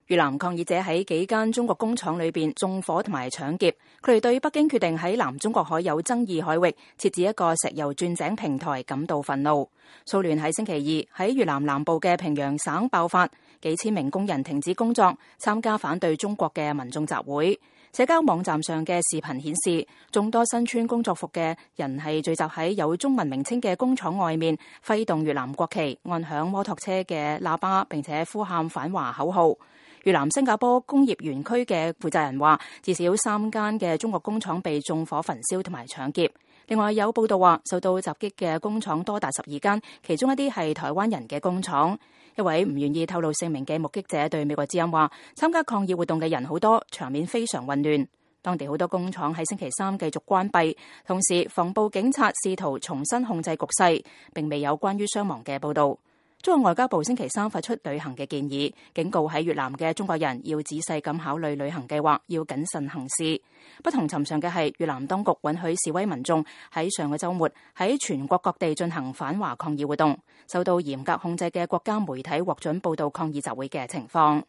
越南抗議者喺幾間中國工廠裏邊縱火同埋搶劫，佢哋對北京決定喺南中國海有爭議海域設置一個石油鑽井平台感到憤怒。騷亂喺星期二喺越南南部嘅平陽省爆發，幾千名工人停止工作，參加反對中國嘅民眾集會。社交網站上嘅視頻顯示，眾多身穿工作服嘅人係聚集喺有中文名稱嘅工廠外面，揮動越南國旗，按響摩托車嘅喇叭，並且呼喊反華口號。越南新加坡工業園區嘅負責人話，至少3間嘅中國工廠被縱火焚燒同埋搶劫。另外有報道話，受到襲擊嘅工廠多達12間，其中一啲係台灣人嘅工廠。一位唔願意透露姓名嘅目擊者對美國之音話，參加抗議活動嘅人好多，場面非常混亂。當地好多工廠喺星期三繼續關閉，同時防暴警察試圖重新控制局勢，並未有關於傷亡嘅報道。中國外交部星期三發出旅行嘅建議，警告喺越南嘅中國人要仔細咁考慮旅行計劃，要謹慎行事。不同尋常嘅係，越南當局允許示威民眾喺上個週末喺全國各地進行反華抗議活動，受到嚴格控制嘅國家媒體獲准報道抗議集會嘅情況。